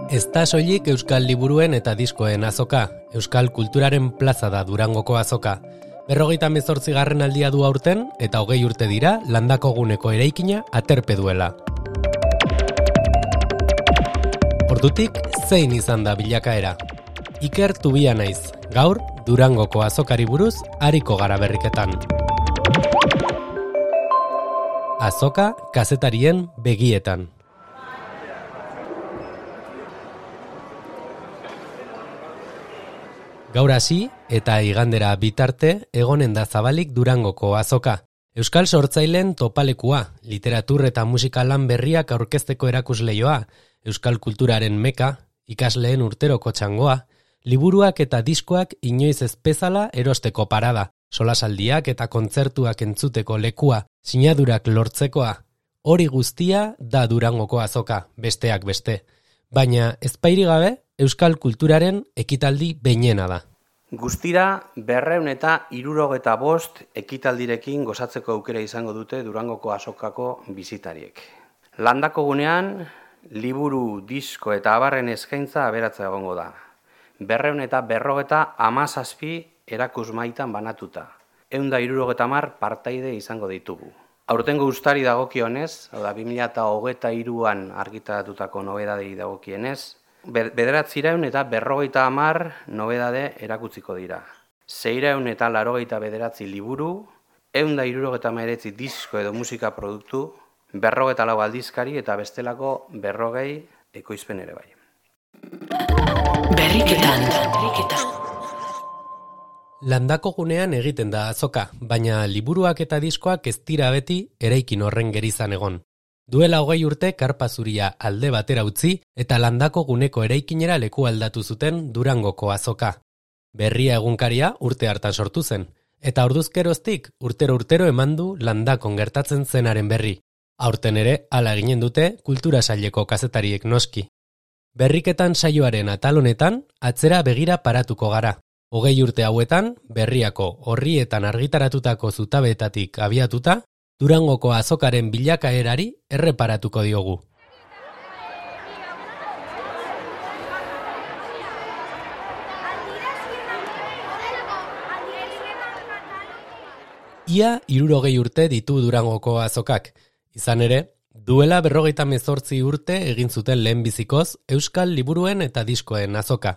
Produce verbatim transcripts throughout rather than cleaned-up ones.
Ez da soilik euskal liburuen eta diskoen azoka, euskal kulturaren plaza da Durangoko azoka. Berrogeita hemezortzigarren aldia du aurten eta hogei urte dira Landako guneko eraikina aterpe duela. Ordutik, zein izan da bilakaera? Iker Tubia naiz, gaur Durangoko azokari buruz ariko gara berriketan. Azoka kazetarien begietan. Gaur hasi eta igandera bitarte egonen da zabalik Durangoko azoka. Euskal sortzaileen topalekua, literatur eta musika lan berriak aurkezteko erakusleioa, euskal kulturaren meka, ikasleen urteroko txangoa, liburuak eta diskoak inoiz ez bezala erosteko parada, solasaldiak eta kontzertuak entzuteko lekua, sinadurak lortzekoa. Hori guztia da Durangoko azoka, besteak beste. Baina ezpairi gabe, euskal kulturaren ekitaldi behinena da. Guztira, berreun eta hirurogeta bost ekitaldirekin gozatzeko aukera izango dute Durangoko azokako bizitariek. Landako gunean, liburu, disko eta abarren eskaintza aberatza egongo da. Berreun eta berrogeta hamazazpi erakusmaitan banatuta. Ehun eta hirurogeta hamar partaide izango ditugu. Aurtengo uztari dagokionez, hau da bi mila hogeita hiruan argitaratutako nobedadei dagokienez, bederatziehun eta berrogeita hamar nobedade erakutziko dira. Seiehun eta laurogeita bederatzi liburu, ehun eta hirurogeta hemeretzi disko edo musika produktu, berrogeita lau aldizkari eta bestelako berrogei ekoizpen ere bai. Berriketan, berriketan. Landako gunean egiten da azoka, baina liburuak eta diskoak ez dira beti eraikin horren gerizan egon. Duela hogei urte karpa zuria alde batera utzi eta Landako guneko eraikinera leku aldatu zuten Durangoko azoka. Berria egunkaria urte hartan sortu zen, eta orduzkeroztik urtero urtero eman du Landakon gertatzen zenaren berri. Aurten ere hala eginen dute kultura saileko kazetariek noski. Berriketan saioaren atal honetan atzera begira paratuko gara. Hogei urte hauetan, berriako orrietan argitaratutako zutabeetatik abiatuta, Durangoko azokaren bilakaerari erreparatuko diogu. Ia hirurogei urte ditu Durangoko azokak. Izan ere, duela berrogeita hemezortzi urte egin zuten lehenbizikoz euskal liburuen eta diskoen azoka.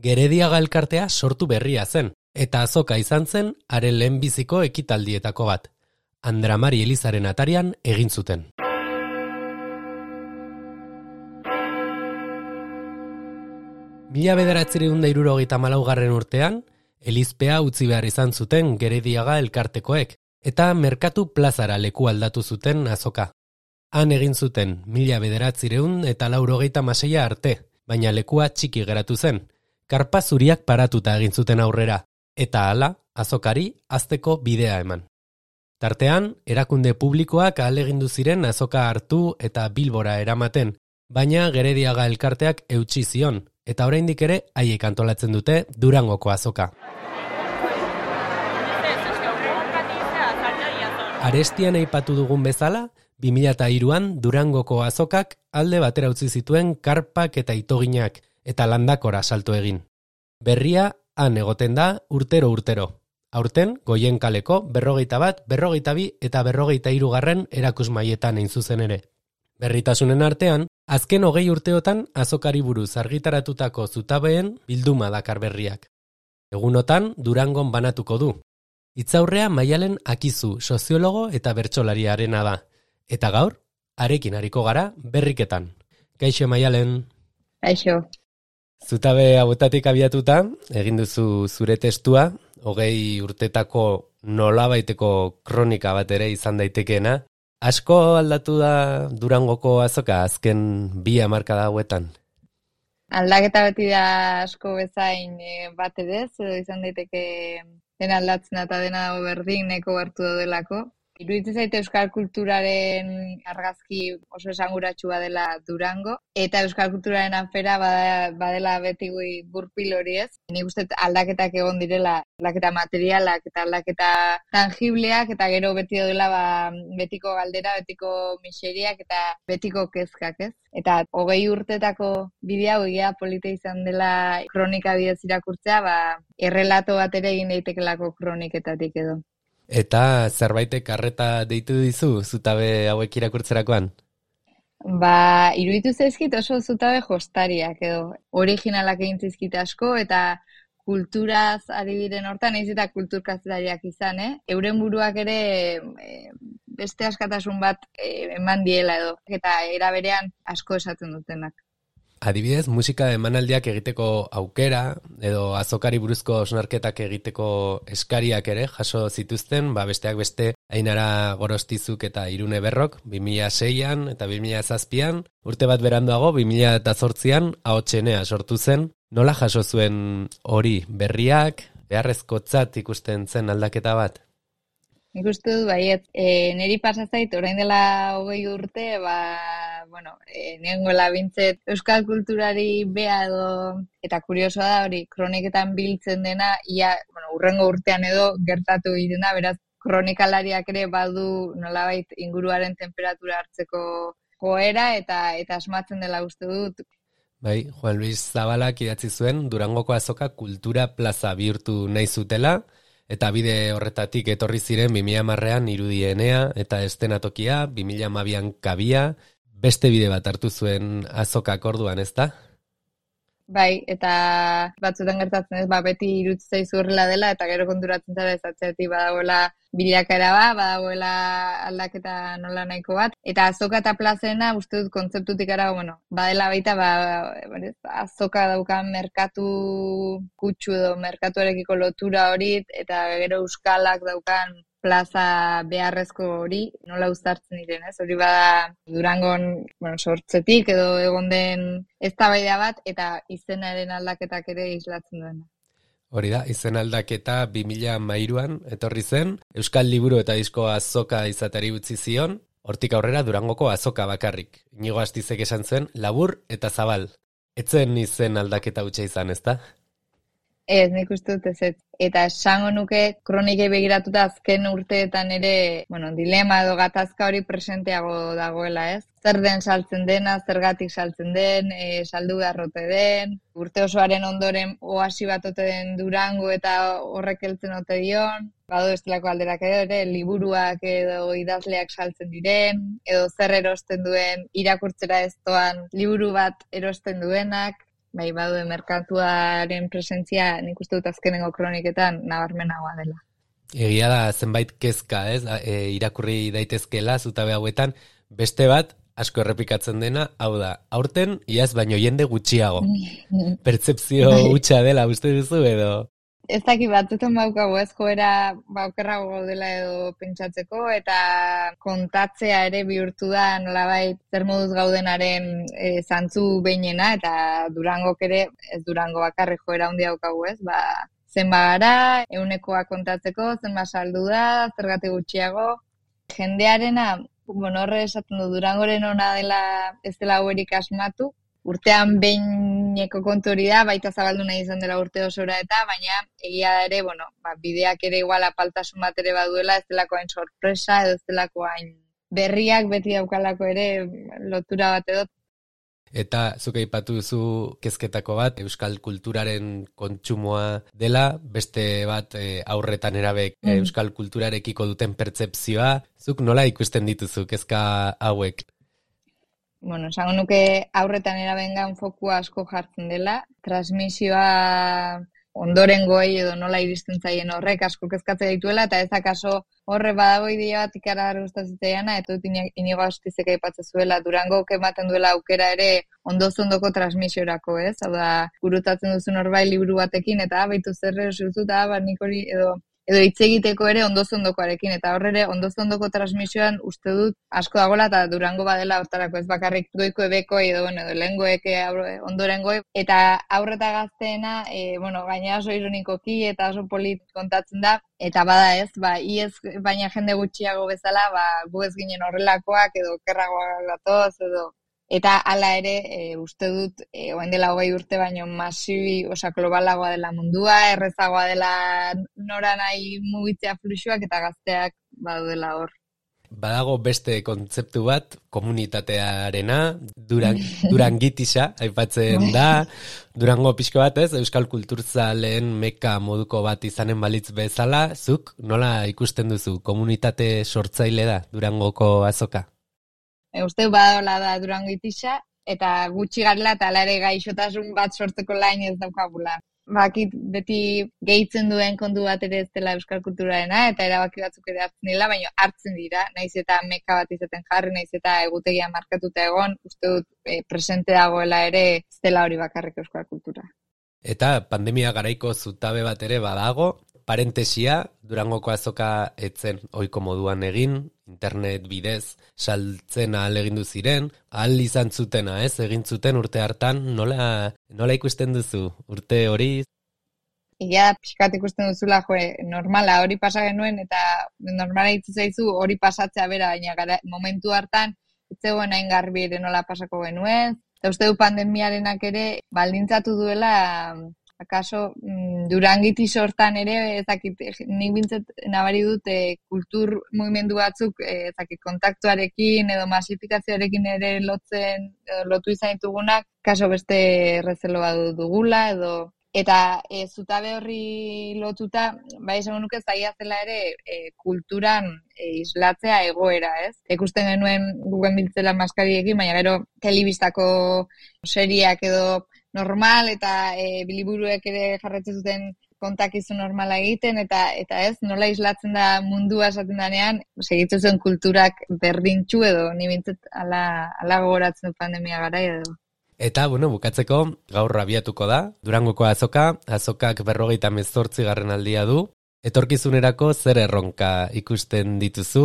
Gerediaga elkartea sortu berria zen, eta azoka izan zen haren lehenbiziko ekitaldietako bat. Andramari Elizaren atarian egin zuten. Mila bederatziehun eta hirurogeita hamalaugarren urtean, Elizpea utzi behar izan zuten Gerediaga elkartekoek, eta Merkatu plazara leku aldatu zuten azoka. Han egin zuten mila bederatziehun eta laurogeita hamaseia arte, baina lekua txiki geratu zen. Karpa zuriak paratuta egin zuten aurrera, eta hala, azokari hazteko bidea eman. Tartean, erakunde publikoak ahalegindu ziren azoka hartu eta Bilbora eramaten, baina Gerediaga elkarteak eutsi zion, eta oraindik ere haiek antolatzen dute Durangoko azoka. Arestian aipatu dugun bezala, bi mila hiruan Durangoko azokak alde batera utzi zituen karpak eta itoginak, eta Landakora salto egin. Berria han egoten da urtero-urtero. Aurten, Goienkaleko berrogeita bat, berrogeita bi eta berrogeita hirugarren erakusmaietan egin zuzen ere. Berritasunen artean, azken hogei urteotan azokari buruz argitaratutako zutabeen bilduma dakar berriak. Egunotan, Durangon banatuko du. Hitzaurrea Maialen Akizu, soziologo eta bertsolariarena da. Eta gaur, harekin hariko gara berriketan. Kaixo Maialen. Kaixo. Zutabe hauetatik abiatuta, egin duzu zure testua, hogei urtetako nolabaiteko kronika bat ere izan daitekeena. Asko aldatu da Durangoko azoka azken bi hamarkada hauetan? Aldaketa beti da asko bezain bat edez, edo izan daiteke dena aldatzen eta dena dago berdin neko hartu daudelako. Iruditzen zaite euskal kulturaren argazki oso esanguratsua dela Durango, eta euskal kulturaren afera bada, badela beti gurpil hori ez. Nik uste aldaketak egon direla, aldaketa materialak eta aldaketa tangibleak, eta gero beti dela ba, betiko galdera, betiko miseriak eta betiko kezkak ez. Eta hogei urtetako bidea egia polita izan dela kronika bidez irakurtzea, ba, errelato bat ere egin daitekelako kroniketatik edo. Eta zerbaitek arreta deitu dizu zutabe hauek irakurtzerakoan? Ba, iruditu zaizkit oso zutabe jostariak edo originalak egin zizkit asko eta kulturaz ari diren hortan, ez eta kulturkazetariak izan, eh? Euren buruak ere e, beste askatasun bat e, eman diela edo, eta era berean asko esaten dutenak. Adibidez, musika emanaldiak egiteko aukera, edo azokari buruzko osnarketak egiteko eskariak ere jaso zituzten, ba besteak beste Ainara Gorostizuk eta Irune Berrok, bi mila seian eta bi mila zazpian, urte bat beranduago, bi mila zortzian, Ahotsenea sortu zen. Nola jaso zuen hori berriak, beharrezkotzat ikusten zen aldaketa bat? Nik uste dut, baiet, e, niri pasazait, orain dela hogei urte, ba, bueno, e, nengoela bintzet euskal kulturari bea edo, eta kuriosoa da hori, kroniketan biltzen dena, ia, bueno, urrengo urtean edo gertatu egiten da, beraz, kronikalariak ere badu nolabait inguruaren temperatura hartzeko joera, eta, eta asmatzen dela uste dut. Bai, Juan Luis Zabalak idatzi zuen Durangoko azoka kultura plaza bihurtu nahi zutela, eta bide horretatik etorri ziren bi mila hamarrean irudienea eta estenatokia, bi mila hamabian kabia, beste bide bat hartu zuen azokak orduan, ezta? Bai, eta batzuetan gertatzen ez, ba, beti iruditzen zaizu horrela dela, eta gero konturatzen zara ez atzeatik badagoela bilakaera bat, badagoela aldaketa nola nahiko bat, eta azoka eta plazena uste dut kontzeptutik ara, bueno, badela baita, ba, azoka daukan merkatu kutsu edo merkatuarekiko lotura hori, eta gero euskalak daukan plaza beharrezko hori, nola uztartzen diren, ez? Hori bada Durangon, bueno, sortzetik edo egon den eztabaida bat, eta izenaren aldaketak ere islatzen duena. Hori da, izen aldaketa bi mila hamairuan etorri zen, Euskal Liburu eta Disko azoka izatari utzi zion, hortik aurrera Durangoko azoka bakarrik. Inigo Astizek esan zuen, labur eta zabal. Etzen izen aldaketa hutsa izan, ezta? Ez, nik uste dut ez. Eta esango nuke kronikei begiratuta azken urteetan ere, bueno, dilema edo gatazka hori presenteago dagoela, ez? Zer den saltzen dena, zergatik saltzen den, e, saldu beharrote den, urte osoaren ondoren oasi bat ote den Durango eta horrek heltzen ote dion, badu estelako alderak edo ere, liburuak edo idazleak saltzen diren, edo zer erosten duen irakurtzera ez doan liburu bat erosten duenak, bai, baduen merkatuaren presentzia nik uste dut azkenengo kroniketan nabarmenagoa dela. Egia da zenbait kezka, ez? E, irakurri daitezkela zutabe hauetan, beste bat asko errepikatzen dena, hau da, aurten iaz baino jende gutxiago. Pertzepzio hutsa dela uste duzu edo? Ez daki batzutan baukago ez joera baukerrago gaudela edo pentsatzeko, eta kontatzea ere bihurtu da nolabait zer moduz gaudenaren e, zantzu behinena, eta Durangok ere, ez Durango bakarrik joera handia daukagu ez, ba, zenba gara, ehunekoa kontatzeko, zenba saldu da, zergatik gutxiago. Jendearena, bueno, horre esaten du, Durangoren ona dela ez dela hauerik asmatu, urtean behineko kontu hori da, baita zabaldu nahi izan dela urte osora eta, baina egia da ere, bueno, ba, bideak ere igual apaltasun bat ere baduela, ez delako hain sorpresa, edo ez delako hain berriak beti daukalako ere lotura bat edo. Eta zuk aipatu duzu kezketako bat, euskal kulturaren kontsumoa dela, beste bat e, aurretan erabek mm. euskal kulturarekiko duten pertzepzioa, zuk nola ikusten dituzu kezka hauek? Bueno, esango nuke aurretan erabengan fokua asko jartzen dela, transmisioa ondorengoei edo nola iristen zaien horrek asko kezkatzen dituela, eta ez akaso horre badago idea bat ikaragarri gustatzen eta dut Inigo Astizek aipatzen zuela, Durangok ematen duela aukera ere ondoz-ondoko transmisiorako, ez? Hau da, gurutatzen duzu norbait liburu batekin, eta baitu zer erosi duzu, eta ba, nik hori edo edo hitz egiteko ere ondozondokoarekin, eta horre ondozondoko transmisioan uste dut asko dagoela, eta Durango badela hortarako ez bakarrik goiko ebeko edo, bueno, edo lehengoek ondorengoek, eta aurreta gazteena, e, bueno, gaina oso ironikoki eta oso polit kontatzen da, eta bada ez, ba, iez baina jende gutxiago bezala, ba, gu ez ginen horrelakoak edo kerragoak gatoz, edo eta hala ere, e, uste dut, e, oen dela hogei urte baino masibi, osa globalagoa dela mundua, errezagoa dela nora nahi mugitzea fluxuak eta gazteak badudela hor. Badago beste kontzeptu bat, komunitatearena, duran, durangitisa, aipatzen da, Durango pixko bat ez, euskal kulturzaleen meka moduko bat izanen balitz bezala, zuk nola ikusten duzu, komunitate sortzaile da Durangoko azoka? E, uste badaola da Durango itisa, eta gutxi garela eta ala ere gaixotasun bat sortzeko lain ez daukagula. Bakit beti gehitzen duen kontu bat ere ez dela euskal kulturarena, eta erabaki batzuk ere hartzen dira, baina hartzen dira, naiz eta meka bat izaten jarri, naiz eta egutegia markatuta egon, uste dut e, presente dagoela ere ez dela hori bakarrik euskal kultura. Eta pandemia garaiko zutabe bat ere badago, parentesia, Durangoko azoka etzen ohiko moduan egin, internet bidez saltzen ahalegindu ziren, ahal izan zutena, ez? Egin zuten urte hartan, nola, nola ikusten duzu urte hori? Ia pixkat ikusten duzula, jo, normala hori pasa genuen, eta normala hitz zaizu hori pasatzea bera, baina gara, momentu hartan, ez zegoen hain garbi ere nola pasako genuen, eta uste du pandemiarenak ere baldintzatu duela, akaso Durangiti sortan ere, ezakit, nik bintzat nabari dut e, kultur mugimendu batzuk, e, ezakit, kontaktuarekin edo masifikazioarekin ere lotzen, edo lotu izan ditugunak, kaso beste errezelo bat dugula, edo eta e, zutabe horri lotuta, bai esan nuke zaila zela ere e, kulturan e, islatzea egoera, ez? Ikusten genuen gugen biltzela maskariekin, baina gero telebistako seriak edo normal eta e, biliburuek ere jarretzen zuten kontakizun normala egiten, eta eta ez, nola islatzen da mundua esaten danean, segitzen zuen kulturak berdintxu edo, ni bintzat ala, ala gogoratzen du pandemia gara edo. Eta, bueno, bukatzeko, gaur abiatuko da, Durangoko azoka, azokak berrogeita mezortzi garren aldia du, etorkizunerako zer erronka ikusten dituzu?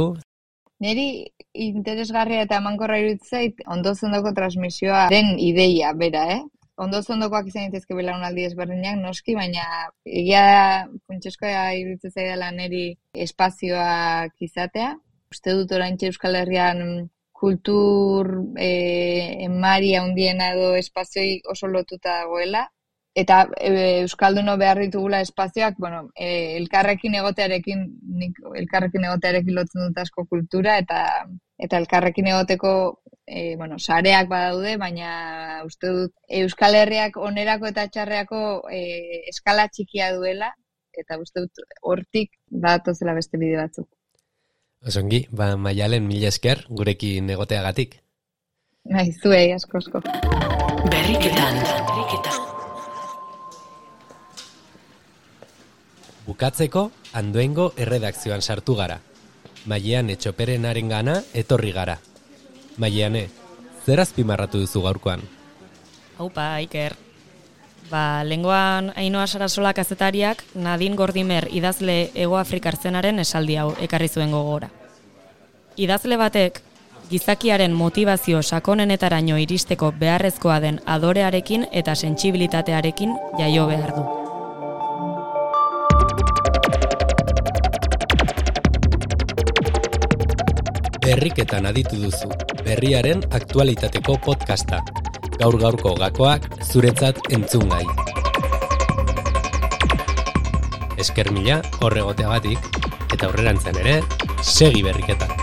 Neri interesgarria eta emankorra iruditzen zait, ondozondoko transmisioaren ideia bera, eh? Ondozondokoak izan ditezke belaunaldi ezberdinak, noski, baina egia da, funtsezkoa iruditzen zaidala neri espazioak izatea. Uste dut oraintxe Euskal Herrian kultur e, emaria handiena edo espazioi oso lotuta dagoela, eta e, Euskalduno behar ditugula espazioak, bueno, e, elkarrekin egotearekin, nik elkarrekin egotearekin lotzen dut asko kultura, eta eta elkarrekin egoteko e, bueno, sareak badaude, baina uste dut Euskal Herriak onerako eta txarreako e, eskala txikia duela, eta uste dut hortik badatozela beste bide batzuk. Osongi, ba, Maialen, mila esker gurekin egoteagatik. Bai, zuei, asko, asko. Berriketan, berriketan. Bukatzeko, Andoengo erredakzioan sartu gara. Maiane Txoperen gana etorri gara. Maiane, zer azpimarratu duzu gaurkoan? Haupa, Iker. Ba, lengoan Ainhoa Sarasola kazetariak Nadine Gordimer idazle Hego Afrikar zenaren esaldi hau ekarri zuen gogora. Idazle batek gizakiaren motivazio sakonenetaraino iristeko beharrezkoa den adorearekin eta sentsibilitatearekin jaio behar du. Berriketan aditu duzu, berriaren aktualitateko podcasta. Gaur-gaurko gakoak zuretzat entzungai. Esker mila horregoteagatik, eta aurrerantzean ere, segi berriketan.